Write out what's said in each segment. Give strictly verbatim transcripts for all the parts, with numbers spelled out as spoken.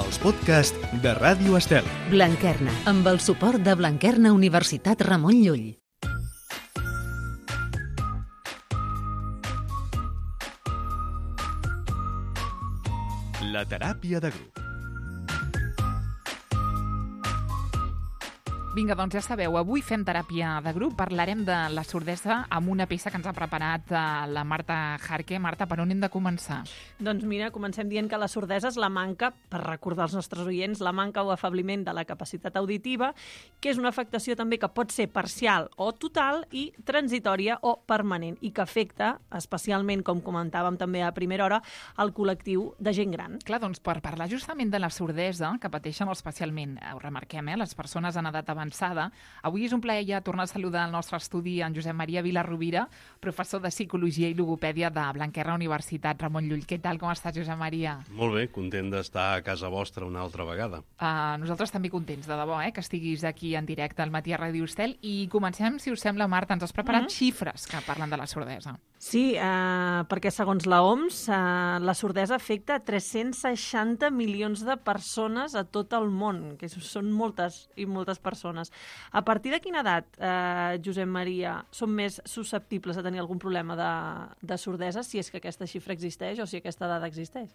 els podcasts de Ràdio Estel. Blanquerna, amb el suport de Blanquerna Universitat Ramon Llull. La teràpia de grup. Vinga, doncs ja sabeu, avui fem teràpia de grup, parlarem de la sordesa amb una peça que ens ha preparat la Marta Jarque. Marta, per on hem de començar? Doncs mira, comencem dient que la sordesa és la manca, per recordar als nostres oients, la manca o afabliment de la capacitat auditiva, que és una afectació també que pot ser parcial o total i transitòria o permanent, i que afecta especialment, com comentàvem també a primera hora, el col·lectiu de gent gran. Clar, doncs per parlar justament de la sordesa, que pateixen especialment, ho remarquem, eh, les persones en edat avançada, avui és un plaer ja tornar a saludar al nostre estudi en Josep Maria Vilarrovira, professor de Psicologia i Logopèdia de Blanquerna Universitat Ramon Llull. Què tal, com estàs, Josep Maria? Molt bé, content d'estar a casa vostra una altra vegada. Uh, nosaltres també contents, de debò, eh, que estiguis aquí en directe al Matí a Ràdio Estel. I comencem, si us sembla, Marta, ens has preparat mm-hmm. xifres que parlen de la sordesa. Sí, eh, perquè segons la O M S, eh, la sordesa afecta tres-cents seixanta milions de persones a tot el món, que són moltes i moltes persones. A partir de quina edat, eh, Josep Maria, són més susceptibles a tenir algun problema de, de sordesa, si és que aquesta xifra existeix o si aquesta edat existeix?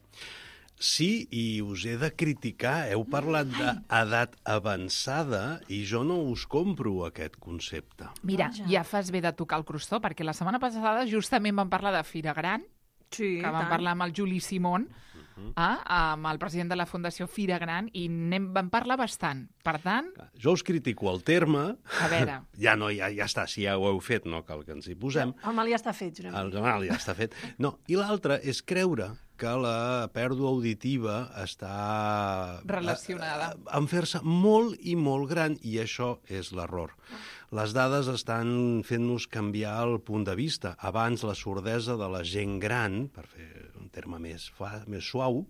Sí, i us he de criticar. Heu parlat d'edat avançada i jo no us compro aquest concepte. Mira, ja fas bé de tocar el crostó, perquè la setmana passada justament vam parlar de Fira Gran, sí, que vam tant. parlar amb el Juli Simón, uh-huh. eh, amb el president de la Fundació Fira Gran, i anem, vam parlar bastant. Per tant... Jo us critico el terme. A veure... Ja no, ja, ja està, si ja ho heu fet, no cal que ens hi posem. El mal ja està fet, Josep. El mal ja està fet. No, i l'altre és creure que la pèrdua auditiva està relacionada a, a, a fer-se molt i molt gran, i això és l'error. Les dades estan fent-nos canviar el punt de vista. Abans la sordesa de la gent gran, per fer un terme més, fa, més suau,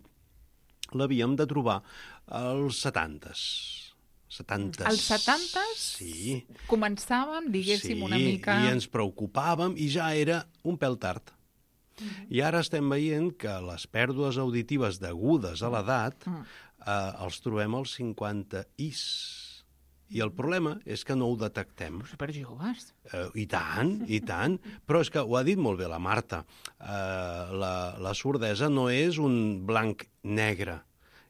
l'havíem de trobar als setantes. setantes. Els setantes sí. començàvem, diguéssim, sí, una mica... i ens preocupàvem i ja era un pèl tard. Uh-huh. I ara estem veient que les pèrdues auditives degudes a l'edat uh-huh. eh, els trobem als cinquanta is. I el problema és que no ho detectem. Superjoves. Eh, I tant, i tant. Però és que ho ha dit molt bé la Marta. Eh, la, la sordesa no és un blanc-negre.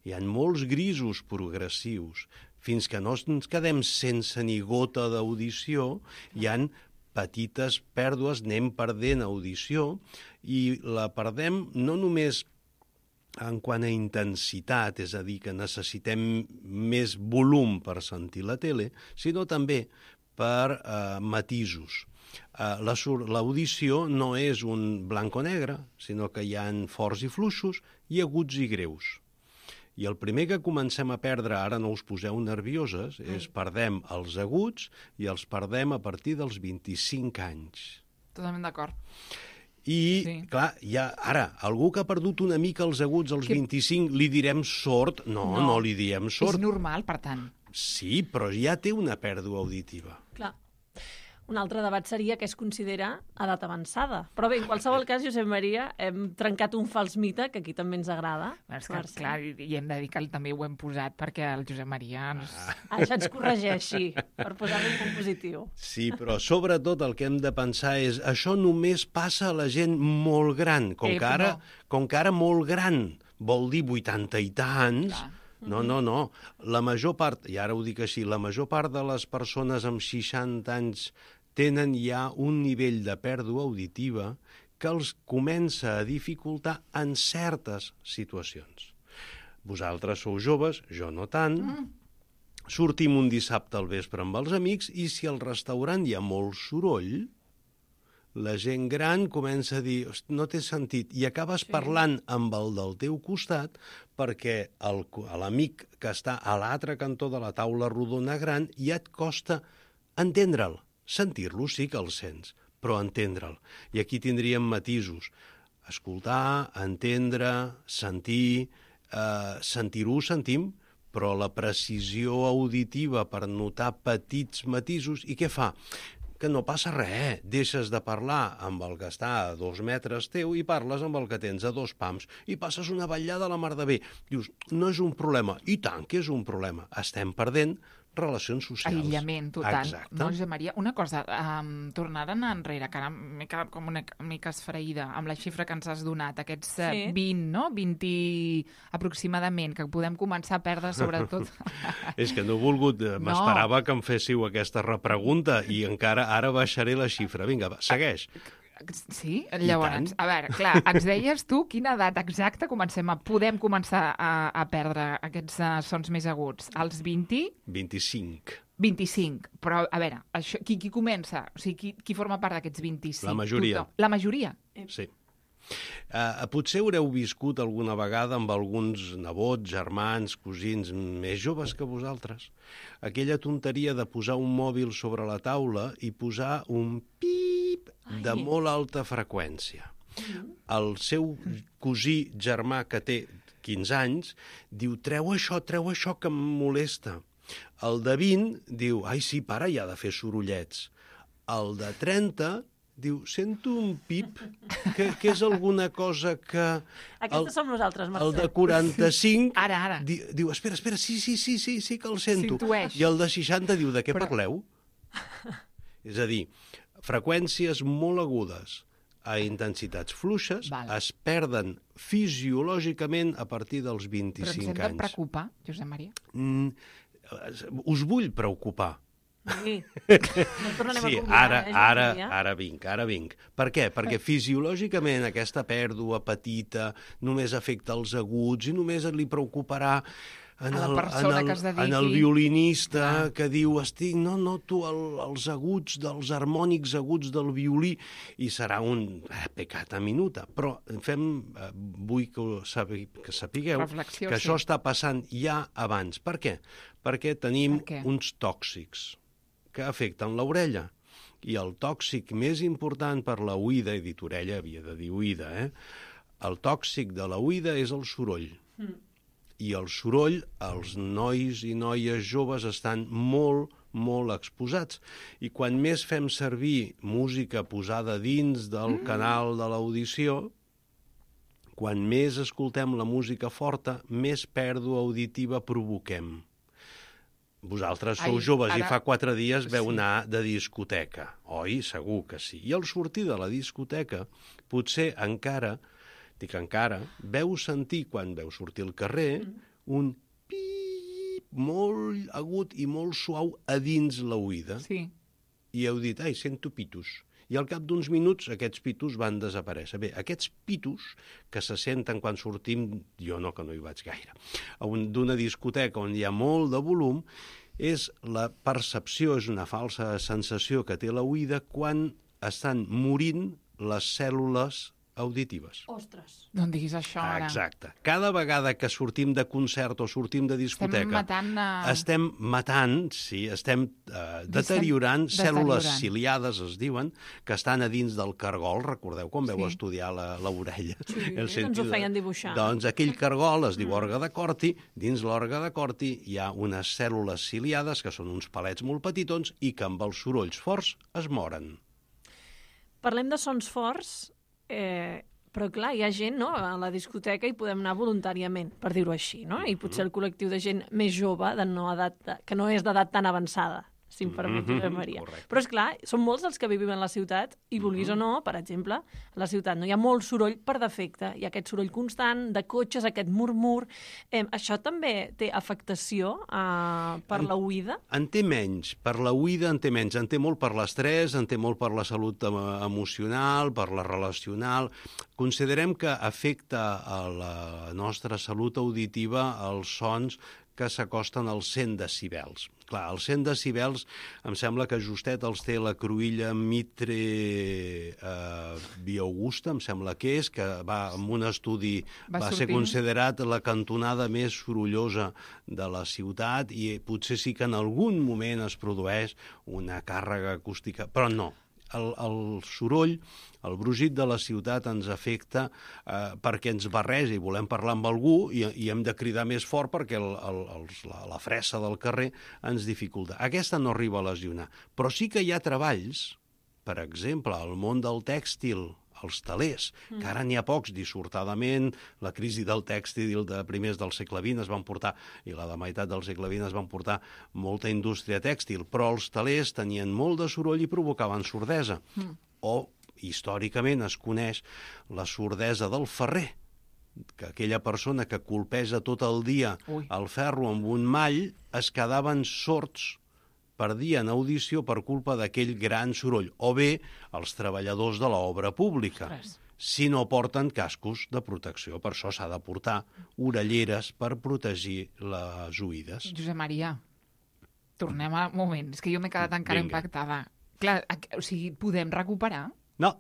Hi ha molts grisos progressius. Fins que no ens quedem sense ni gota d'audició, hi han petites pèrdues, anem perdent audició, i la perdem no només en quant a intensitat, és a dir, que necessitem més volum per sentir la tele, sinó també per eh, matisos. Eh, la, l'audició no és un blanc o negre, sinó que hi ha forts i fluixos i aguts i greus. I el primer que comencem a perdre, ara no us poseu nervioses, és perdem els aguts i els perdem a partir dels vint-i-cinc anys. Totalment d'acord. I, sí. clar, ja, ara, algú que ha perdut una mica els aguts als que... vint-i-cinc, li direm sord? No, no, no li diem sord. És normal, per tant. Sí, però ja té una pèrdua auditiva. Clar. Un altre debat seria què es considera edat avançada. Però bé, en qualsevol cas, Josep Maria, hem trencat un fals mite, que aquí també ens agrada. És que, clar, i hem de dir que també ho hem posat perquè el Josep Maria ens... Ah, això ens corregeixi, per posar-li un punt positiu. Sí, però sobretot el que hem de pensar és això només passa a la gent molt gran. Com, eh, que, ara, no. com que ara molt gran vol dir vuitanta i tants... Clar. No, no, no. La major part, i ara ho dic així, la major part de les persones amb seixanta anys tenen ja un nivell de pèrdua auditiva que els comença a dificultar en certes situacions. Vosaltres sou joves, jo no tant, mm. sortim un dissabte al vespre amb els amics i si al restaurant hi ha molt soroll, la gent gran comença a dir no té sentit, i acabes sí. parlant amb el del teu costat perquè el, l'amic que està a l'altre cantó de la taula rodona gran ja et costa entendre'l. Sentir-lo sí que el sents, però entendre'l. I aquí tindríem matisos. Escoltar, entendre, sentir, eh, sentir-ho ho sentim, però la precisió auditiva per notar petits matisos, i què fa? que no passa res. Deixes de parlar amb el que està a dos metres teu i parles amb el que tens a dos pams i passes una vetllada a la mar de bé. Dius, no és un problema. I tant que és un problema. Estem perdent relacions socials. Aïllament total. Exacte. No, Josep Maria, una cosa, um, tornant enrere, que ara m'he quedat com una mica esfraïda amb la xifra que ens has donat, aquests uh, Sí. vint, no? vint aproximadament, que podem començar a perdre sobretot... És que no he volgut... No. M'esperava que em féssiu aquesta repregunta i encara ara baixaré la xifra. Vinga, va, segueix. Sí? Llavors, a veure, clar, ens deies tu quina edat exacta comencem a, podem començar a, a perdre aquests uh, sons més aguts? Als vint? vint-i-cinc. vint-i-cinc. Però, a veure, això, qui, qui comença? O sigui, qui, qui forma part d'aquests vint-i-cinc? La majoria. Tothom. La majoria? Sí. Uh, potser haureu viscut alguna vegada amb alguns nebots, germans, cosins més joves que vosaltres. Aquella tonteria de posar un mòbil sobre la taula i posar un pip de Ai. molt alta freqüència. El seu cosí germà, que té quinze anys, diu, treu això, treu això, que em molesta. El de vint diu, ai, sí, pare, ja ha de fer sorollets. El de trenta diu, sento un pip, que, que és alguna cosa que... Aquestes som nosaltres, Mercè. El de quaranta-cinc Ara, ara. Di, diu, espera, espera, sí, sí, sí, sí, sí que el sento. S'intueix. I el de seixanta diu, de què Però- parleu? És a dir, freqüències molt agudes a intensitats fluixes Val. es perden fisiològicament a partir dels Però ens hem vint-i-cinc de anys. preocupar, Josep Maria? Mm, us vull preocupar. Sí. No tornarem Sí, a convidar, ara, eh, ara, Josep Maria? ara vinc, ara vinc. Per què? Perquè fisiològicament aquesta pèrdua petita només afecta els aguts i només li preocuparà en A la el, persona en el, que es dediqui. en el violinista Ah. que diu, estic, no, no, tu, el, els aguts, dels harmònics aguts del violí, i serà un eh, peccata minuta. Però fem, eh, vull que, ho sabi, que sapigueu Reflexió, que sí. això està passant ja abans. Per què? Perquè tenim Per què? uns tòxics que afecten l'orella. I el tòxic més important per la oïda, he dit orella, havia de dir oïda, eh? El tòxic de la oïda és el soroll. Mm. I el soroll, els nois i noies joves estan molt, molt exposats. I quan més fem servir música posada dins del mm. canal de l'audició, quan més escoltem la música forta, més pèrdua auditiva provoquem. Vosaltres sou Ai, joves i ara- fa quatre dies veu Sí. anar de discoteca, oi? Segur que sí. I al sortir de la discoteca, potser encara, dic encara, veu sentir, quan veu sortir al carrer, mm. un pip molt agut i molt suau a dins l'oïda. Sí. I heu dit, ai, sento pitos. I al cap d'uns minuts aquests pitos van desaparèixer. Bé, aquests pitos que se senten quan sortim, jo no, que no hi vaig gaire, a un- d'una discoteca on hi ha molt de volum, és la percepció, és una falsa sensació que té l'oïda quan estan morint les cèl·lules auditives. Ostres. No em diguis això ara. Exacte. Cada vegada que sortim de concert o sortim de discoteca... Estem matant... A... Estem matant, sí, estem eh, deteriorant cèl·lules deteriorant. ciliades, es diuen, que estan a dins del cargol. Recordeu quan veu Sí. estudiar la- l'orella? Sí, El ens sentit ho de- feien dibuixar. Doncs aquell cargol es diu òrga de Corti. Dins l'òrga de Corti hi ha unes cèl·lules ciliades, que són uns palets molt petitons, i que amb els sorolls forts es moren. Parlem de sons forts, eh, però clar, hi ha gent, no?, a la discoteca i podem anar voluntàriament, per dir-ho així, no? I potser el col·lectiu de gent més jove, de no edat, que no és d'edat tan avançada, si em permet, Mhm, Josep Maria. correcte. Però, és clar, són molts els que vivim en la ciutat i, vulguis o no, per exemple, a la ciutat no hi ha molt soroll per defecte, hi ha aquest soroll constant de cotxes, aquest murmur. Eh, això també té afectació eh, per En- l'oïda? En té menys, per la oïda en té menys, en té molt per l'estrès, en té molt per la salut em- emocional, per la relacional. Considerem que afecta a la nostra salut auditiva els sons que s'acosten als cent decibels. Clar, els cent decibels em sembla que justet els té la cruïlla Mitre eh, Bioaugusta, em sembla que és, que va en un estudi Va va, ser sortint. considerat la cantonada més sorollosa de la ciutat i potser sí que en algun moment es produeix una càrrega acústica, però no. el, el soroll, el brugit de la ciutat ens afecta eh, perquè ens barreja i volem parlar amb algú i, i hem de cridar més fort perquè el, el, els, la, la fressa del carrer ens dificulta. Aquesta no arriba a lesionar, però sí que hi ha treballs, per exemple, al món del tèxtil, els telers, mm. que ara n'hi ha pocs, dissortadament, la crisi del tèxtil de primers del segle vint es van portar, i la de meitat del segle vint es van portar molta indústria tèxtil, però els telers tenien molt de soroll i provocaven sordesa. Mm. O, històricament, es coneix la sordesa del ferrer, que aquella persona que colpeja tot el dia Ui. el ferro amb un mall es quedaven sords, perdien audició per culpa d'aquell gran soroll, o bé els treballadors de l'obra pública, Ostres. si no porten cascos de protecció. Per això s'ha de portar orelleres per protegir les oïdes. Josep Maria, tornem a un moment, és que jo m'he quedat encara Vinga. impactada. Clar, o sigui, podem recuperar? No.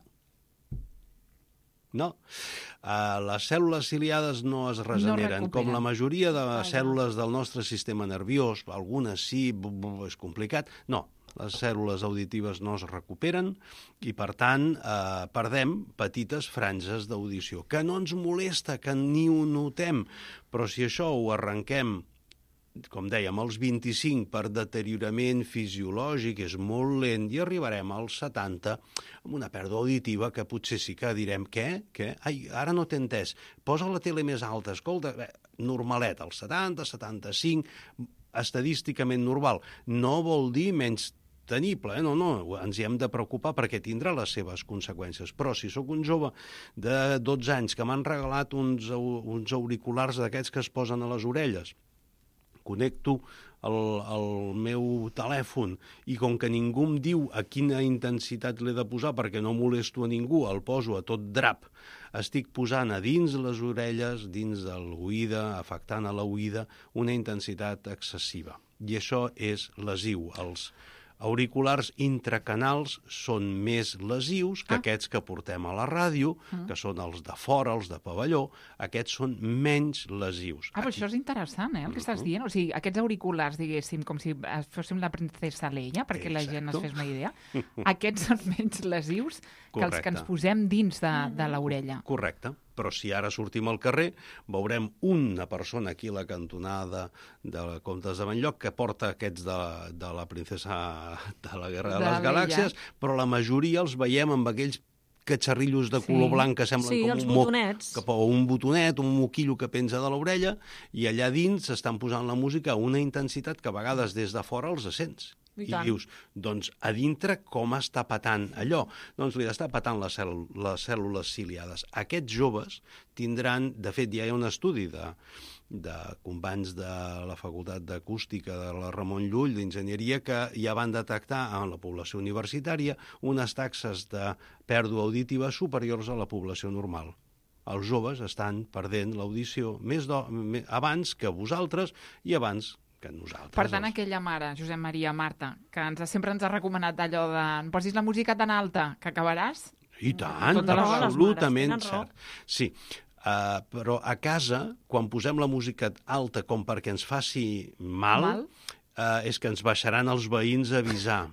No. Uh, les cèl·lules ciliades no es regeneren, no com la majoria de les cèl·lules del nostre sistema nerviós, algunes sí, és complicat. No, les cèl·lules auditives no es recuperen i, per tant, eh, perdem petites franges d'audició, que no ens molesta, que ni ho notem, però si això ho arrenquem, com dèiem, als vint-i-cinc per deteriorament fisiològic, és molt lent, i arribarem als setanta amb una pèrdua auditiva que potser sí que direm, què? Què? Ai, ara no t'he entès, posa la tele més alta, escolta, bé, normalet, als setanta, setanta-cinc, estadísticament normal. No vol dir menys tenible, eh? no, no, ens hi hem de preocupar perquè tindrà les seves conseqüències. Però si sóc un jove de dotze anys que m'han regalat uns, uns auriculars d'aquests que es posen a les orelles, connecto el, el meu telèfon i com que ningú em diu a quina intensitat l'he de posar perquè no molesto a ningú, el poso a tot drap, estic posant a dins les orelles, dins de l'oïda, afectant a l'oïda, una intensitat excessiva. I això és lesiu. Els auriculars intracanals són més lesius que ah. aquests que portem a la ràdio, mm. que són els de fora, els de pavelló, aquests són menys lesius. Ah, però això és interessant, eh, el que estàs dient. O sigui, aquests auriculars, diguéssim, com si fóssim la princesa Leia, perquè Exacto. la gent es fes una idea, aquests són menys lesius que Correcte. els que ens posem dins de, de l'orella. Correcte. Però si ara sortim al carrer, veurem una persona aquí a la cantonada de Comtes de Benlloc que porta aquests de, de la princesa de la Guerra de, de les Galàxies, però la majoria els veiem amb aquells catxarrillos de color sí. blanc que semblen sí, com un botonets. Mo, o un botonet, un moquillo que penja de l'orella, i allà dins s'estan posant la música a una intensitat que a vegades des de fora els sents. I, I dius, doncs, a dintre com està patant allò? Doncs li està patant les, cèl les cèl·lules ciliades. Aquests joves tindran, de fet, ja hi ha un estudi de, de companys de la Facultat d'Acústica de la Ramon Llull, d'Enginyeria, que ja van detectar en la població universitària unes taxes de pèrdua auditiva superiors a la població normal. Els joves estan perdent l'audició més do, més, abans que vosaltres i abans que nosaltres. Per tant, els... aquella mare, Josep Maria, Marta, que ens, sempre ens ha recomanat allò de no posis la música tan alta que acabaràs... I tant, absolutament cert. Sí, uh, però a casa, quan posem la música alta com perquè ens faci mal, mal? Uh, és que ens baixaran els veïns a avisar.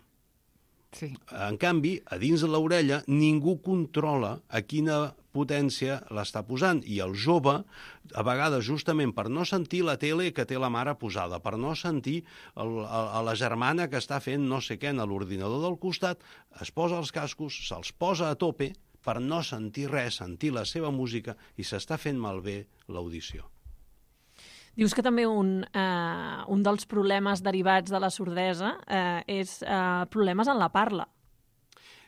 Sí. En canvi, a dins de l'orella, ningú controla a quina potència l'està posant, i el jove, a vegades justament per no sentir la tele que té la mare posada, per no sentir el, a la germana que està fent no sé què en l'ordinador del costat, es posa els cascos, se'ls posa a tope per no sentir res, sentir la seva música, i s'està fent malbé l'audició. Dius que també un, eh, un dels problemes derivats de la sordesa eh, és eh, problemes en la parla.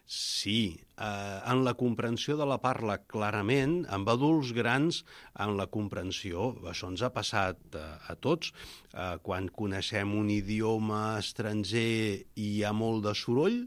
Sí, eh, en la comprensió de la parla, clarament, amb adults grans, en la comprensió, això ens ha passat a, a tots, eh, quan coneixem un idioma estranger i hi ha molt de soroll,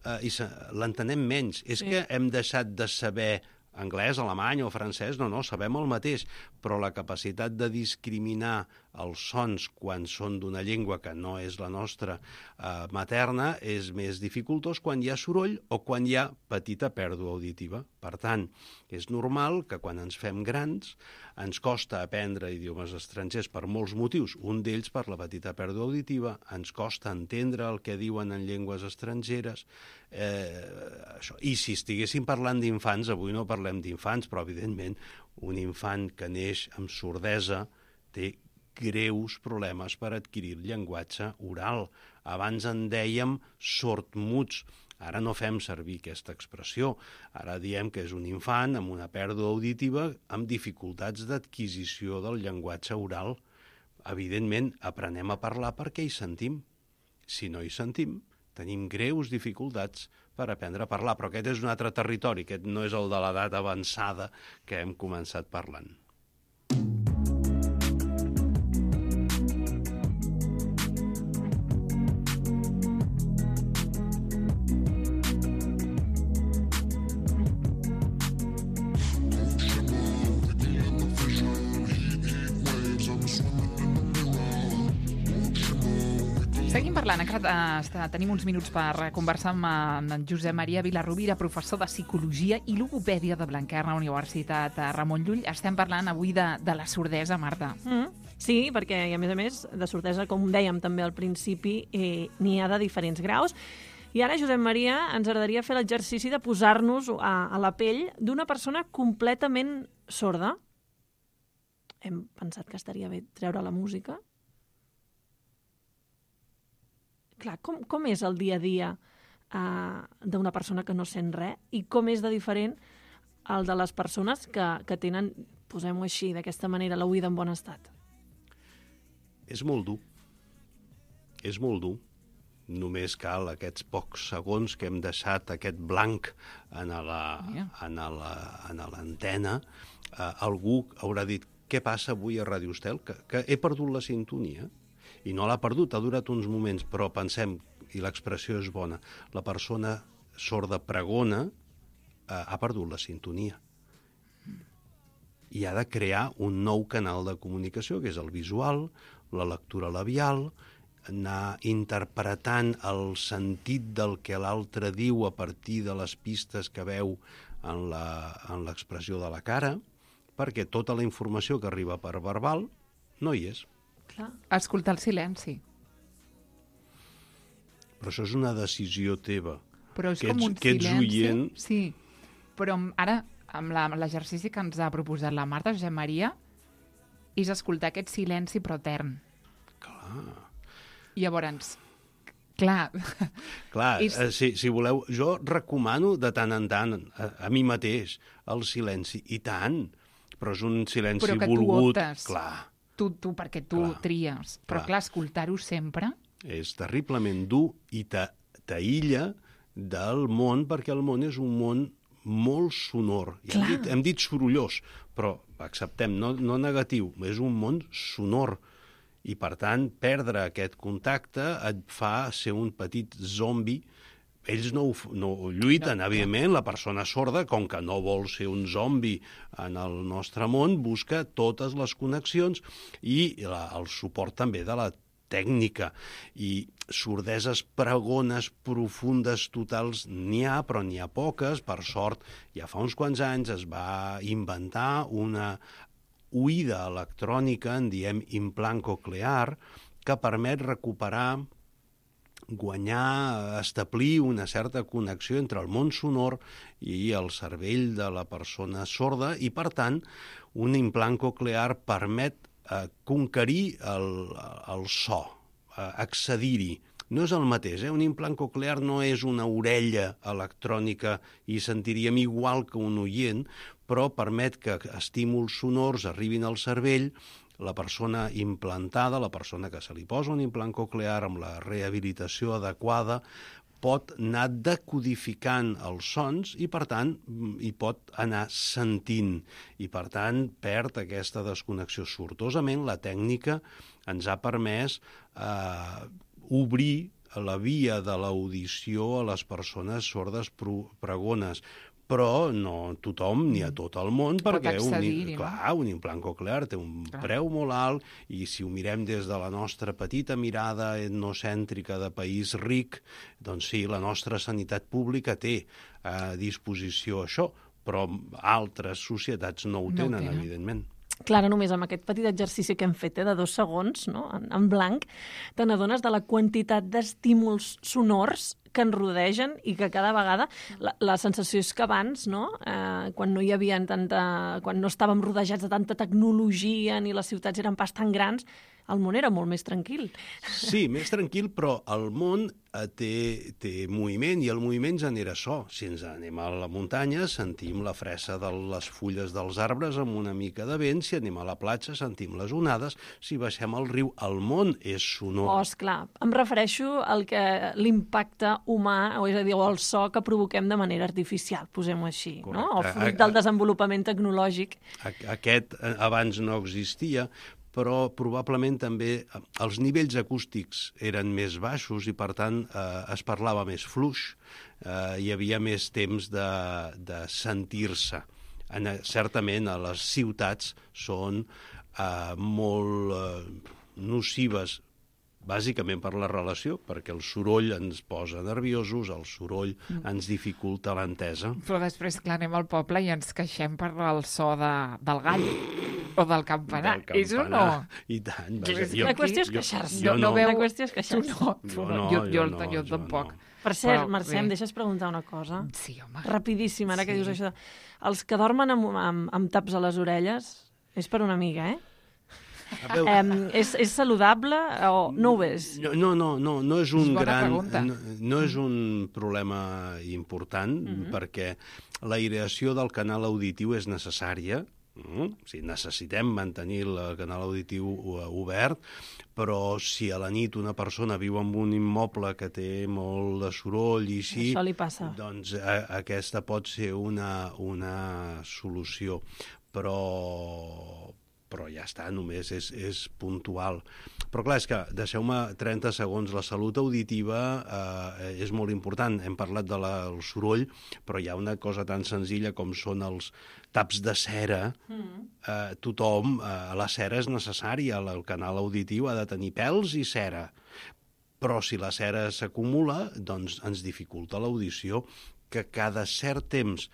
eh, i l'entenem menys. És sí. que hem deixat de saber anglès, alemany o francès, no, no, sabem el mateix, però la capacitat de discriminar els sons quan són d'una llengua que no és la nostra eh, materna és més dificultós quan hi ha soroll o quan hi ha petita pèrdua auditiva. Per tant, és normal que quan ens fem grans ens costa aprendre idiomes estrangers per molts motius, un d'ells per la petita pèrdua auditiva, ens costa entendre el que diuen en llengües estrangeres, eh, això. I si estiguéssim parlant d'infants, avui no parlem d'infants, però evidentment un infant que neix amb sordesa té greus problemes per adquirir llenguatge oral. Abans en dèiem sordmuts, ara no fem servir aquesta expressió. Ara diem que és un infant amb una pèrdua auditiva amb dificultats d'adquisició del llenguatge oral. Evidentment, aprenem a parlar perquè hi sentim. Si no hi sentim, tenim greus dificultats per aprendre a parlar, però aquest és un altre territori, aquest no és el de l'edat avançada que hem començat parlant. Seguim parlant, encara eh, tenim uns minuts per conversar amb en Josep Maria Vilarrubira, professor de Psicologia i Logopèdia de Blanquerna, Universitat Ramon Llull. Estem parlant avui de, de la sordesa, Marta. Mm, sí, perquè, a més a més, de sordesa, com dèiem també al principi, eh, n'hi ha de diferents graus. I ara, Josep Maria, ens agradaria fer l'exercici de posar-nos a, a la pell d'una persona completament sorda. Hem pensat que estaria bé treure la música. Clar, com, com és el dia a dia uh, d'una persona que no sent res i com és de diferent el de les persones que, que tenen, posem-ho així, d'aquesta manera, l'oïda en bon estat? És molt dur. És molt dur. Només cal aquests pocs segons que hem deixat aquest blanc en la, en la, en l'antena. Uh, algú haurà dit, què passa avui a Ràdio Estel? Que, que he perdut la sintonia. I no l'ha perdut, ha durat uns moments, però pensem, i l'expressió és bona, la persona sorda pregona eh, ha perdut la sintonia. I ha de crear un nou canal de comunicació, que és el visual, la lectura labial, anar interpretant el sentit del que l'altre diu a partir de les pistes que veu en l'expressió de la cara, perquè tota la informació que arriba per verbal no hi és. Clar. Escoltar el silenci. Però això és una decisió teva. Però és que com ets, un que ets silenci. oient... Sí, però ara, amb l'exercici que ens ha proposat la Marta, Josep Maria, és escoltar aquest silenci però etern. Clar. I llavors, clar... Clar, és... eh, si, si voleu, jo recomano de tant en tant a, a mi mateix el silenci, i tant, però és un silenci però que volgut. Tu optes. Clar. Tu, tu, perquè tu clar, tries. Però, clar, clar escoltar-ho sempre... És terriblement dur i t'aïlla del món, perquè el món és un món molt sonor. Ja hem, dit, hem dit sorollós, però acceptem, no, no negatiu, és un món sonor. I, per tant, perdre aquest contacte et fa ser un petit zombi. Ells no, no lluiten, no, evidentment, la persona sorda, com que no vol ser un zombi en el nostre món, busca totes les connexions i la, el suport també de la tècnica. I sordeses pregones profundes totals n'hi ha, però n'hi ha poques. Per sort, ja fa uns quants anys es va inventar una oïda electrònica, en diem implant coclear, que permet recuperar, guanyar, establir una certa connexió entre el món sonor i el cervell de la persona sorda i, per tant, un implant coclear permet eh, conquerir el, el so, eh, accedir-hi. No és el mateix, eh? Un implant coclear no és una orella electrònica i sentiríem igual que un oient, però permet que estímuls sonors arribin al cervell. La persona implantada, la persona que se li posa un implant coclear amb la rehabilitació adequada, pot anar decodificant els sons i, per tant, hi pot anar sentint. I, per tant, perd aquesta desconnexió. Sortosament, la tècnica ens ha permès eh, obrir la via de l'audició a les persones sordes pregones. però no tothom ni a tot el món, perquè un, accedir-hi, no? clar, un implant coclear té un clar. preu molt alt, i si ho mirem des de la nostra petita mirada etnocèntrica de país ric, doncs sí, la nostra sanitat pública té a disposició això, però altres societats no ho No ho tenen, tenen. evidentment. Clara, només amb aquest petit exercici que hem fet, eh, de dos segons, no? en, en blanc, te n'adones de la quantitat d'estímuls sonors que ens rodegen i que cada vegada la, la sensació és que abans, no? eh, quan no hi havia tanta, quan no estàvem rodejats de tanta tecnologia ni les ciutats eren pas tan grans, el món era molt més tranquil. Sí, més tranquil, però el món eh, té, té moviment, i el moviment genera so. Si ens anem a la muntanya, sentim la fressa de les fulles dels arbres amb una mica de vent. Si anem a la platja, sentim les onades. Si baixem al riu, el món és sonor. Oh, esclar, em refereixo al que l'impacte humà, o és a dir, el so que provoquem de manera artificial, posem-ho així, Correcte. no? O fruit del desenvolupament tecnològic. Aquest eh, abans no existia, però probablement també els nivells acústics eren més baixos i, per tant, eh, es parlava més fluix, eh, hi havia més temps de, de sentir-se. En, certament, a les ciutats són eh, molt eh, nocives, bàsicament per la relació, perquè el soroll ens posa nerviosos, el soroll ens dificulta l'entesa. Però després, clar, anem al poble i ens queixem per el so de, del gall o del campanar. Del És o no? campanar. I tant. Vaja, És jo- La qüestió és jo- queixar-se. jo no no. veu- La qüestió és Tu queixar-se. no, tu Jo no, no, jo, jo jo, no, jo jo tampoc. no. Per cert, Però, Mercè, bé. em deixes preguntar una cosa? Sí, home. Rapidíssim, ara que Sí. dius això. Els que dormen amb, amb, amb taps a les orelles, és per una amiga, eh? A veure, Um, és, és saludable o no ho és? No, no, no, no, no és un És bona gran... pregunta. No, no és un problema important, Mhm. perquè l'aireació del canal auditiu és necessària. Mm? O sigui, necessitem mantenir el canal auditiu eh, obert, però si a la nit una persona viu en un immoble que té molt de soroll i així, Això li passa. doncs a, aquesta pot ser una, una solució, però però ja està, només és, és puntual. Però clar, és que, deixeu-me trenta segons, la salut auditiva eh, és molt important. Hem parlat del de soroll, però hi ha una cosa tan senzilla com són els taps de cera. Mm. Eh, tothom, eh, la cera és necessària, el canal auditiu ha de tenir pèls i cera. Però si la cera s'acumula, doncs ens dificulta l'audició, que cada cert temps,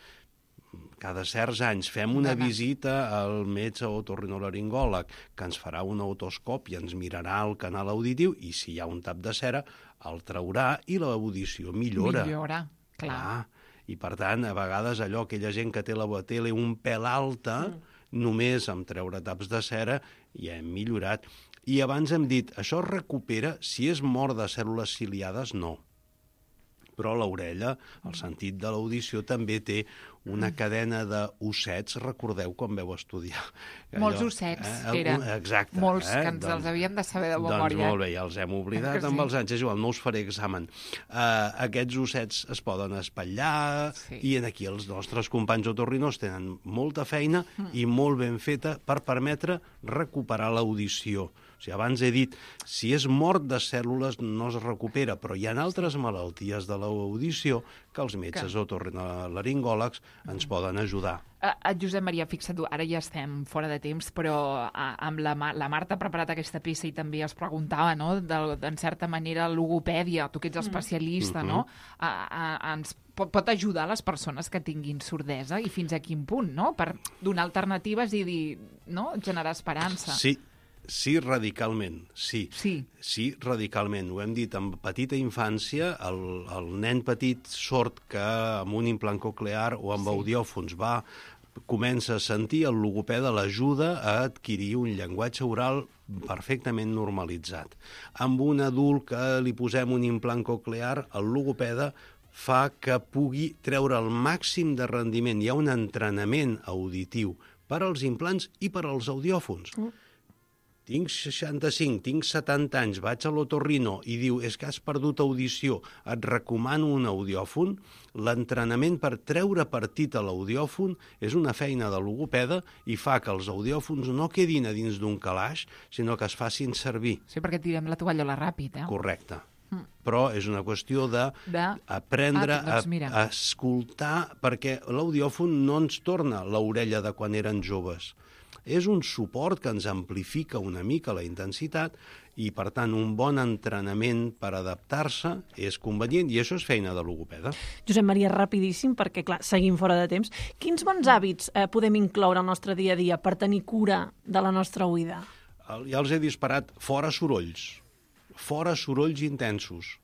cada certs anys, fem una D'anar. visita al metge otorrinolaringòleg que ens farà un otoscopi i ens mirarà el canal auditiu, i si hi ha un tap de cera, el traurà i l'audició millora. Millora, clar. Ah, i per tant, a vegades allò, aquella gent que té la tele un pèl alta, mm. només amb treure taps de cera ja hem millorat. I abans hem dit, això es recupera si és mort de cèl·lules ciliades, no. Però l'orella, el sentit de l'audició, també té una cadena d'ossets, recordeu quan veu estudiar. Molts ossets, eh? eren. Exacte. Molts, eh? que ens els havíem de saber de Doncs memòria. molt bé, ja els hem oblidat Que amb sí. els anys, és igual, no us faré examen. Uh, aquests ossets es poden espatllar, Sí. i en aquí els nostres companys otorrinors tenen molta feina mm. i molt ben feta per permetre recuperar l'audició. O sigui, abans he dit, si és mort de cèl·lules no es recupera, però hi ha altres malalties de l'audició que els metges Que... otorrinolaringòlegs ens poden ajudar. Uh, uh, Josep Maria, fixa't, ara ja estem fora de temps, però uh, amb la, Ma- la Marta ha preparat aquesta peça i també es preguntava, no?, de, de, en certa manera, logopèdia, tu que ets especialista, Mm. no?, uh, uh, ens pot, pot ajudar les persones que tinguin sordesa i fins a quin punt, no?, per donar alternatives i dir, no?, generar esperança. Sí, sí, radicalment, sí. Sí. Sí, radicalment. Ho hem dit, en petita infància, el, el nen petit sord que amb un implant coclear o amb Sí. audiòfons va, comença a sentir, el logopeda l'ajuda a adquirir un llenguatge oral perfectament normalitzat. Amb un adult que li posem un implant coclear, el logopeda fa que pugui treure el màxim de rendiment. Hi ha un entrenament auditiu per als implants i per als audiòfons. Mm. Tinc seixanta-cinc, tinc setanta anys, vaig a l'otorrino i diu, és que has perdut audició, et recomano un audiòfon. L'entrenament per treure partit a l'audiòfon és una feina de logopeda i fa que els audiòfons no quedin a dins d'un calaix, sinó que es facin servir. Sí, perquè tirem la tovallola ràpid, eh? Correcte. però és una qüestió d'aprendre de... ah, doncs a, a escoltar, perquè l'audiòfon no ens torna l'orella de quan eren joves. És un suport que ens amplifica una mica la intensitat i, per tant, un bon entrenament per adaptar-se és convenient i això és feina de logopeda. Josep Maria, rapidíssim, perquè, clar, seguim fora de temps. Quins bons hàbits eh, podem incloure al nostre dia a dia per tenir cura de la nostra oïda? Ja els he disparat fora sorolls, fora sorolls intensos.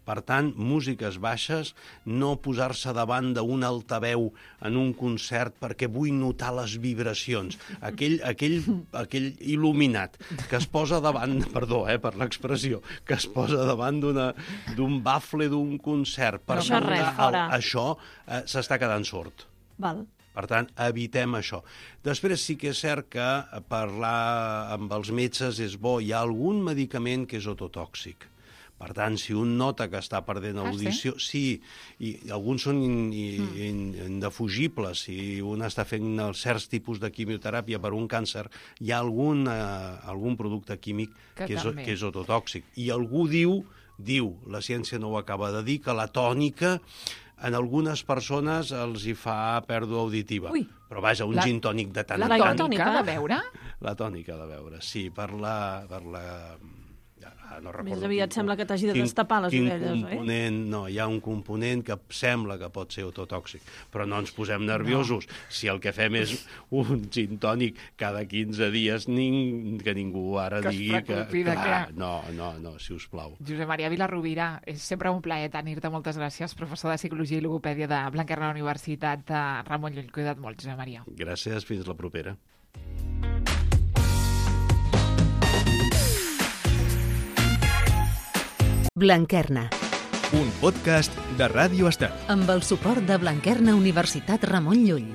Per tant, músiques baixes, no posar-se davant d'un altaveu en un concert perquè vull notar les vibracions. Aquell, aquell, aquell il·luminat que es posa davant, perdó eh, per l'expressió, que es posa davant d'un bafle d'un concert. Per això res, fora. El, això eh, s'està quedant sord. Val. Per tant, evitem això. Després sí que és cert que parlar amb els metges és bo. Hi ha algun medicament que és ototòxic. Per tant, si un nota que està perdent audició... Ah, sí? Sí, i alguns són in, in, indefugibles. Si un està fent certs tipus de quimioteràpia per un càncer, hi ha algun, eh, algun producte químic que, que, és, que és ototòxic. I algú diu, diu, la ciència no ho acaba de dir, que la tònica en algunes persones els hi fa pèrdua auditiva. Ui. Però vaja, un la, gin tònic de tant en tant. La tònica de beure? La tònica de beure, sí, per la... Per la no Més aviat quin, sembla que t'hagi de destapar les orelles, oi? No, hi ha un component que sembla que pot ser ototòxic, però no ens posem nerviosos. No. Si el que fem és un gin tònic cada quinze dies, ning, que ningú ara que digui que... Clar, que... No, no, no, si us plau. Josep Maria Vilarrubira, és sempre un plaer tenir-te. Moltes gràcies, professor de Psicologia i Logopèdia de Blanquerna Universitat de Ramon Llull. Cuida't molt, Josep Maria. Gràcies, fins la propera. Blanquerna. Un podcast de Ràdio Estel. Amb el suport de Blanquerna Universitat Ramon Llull.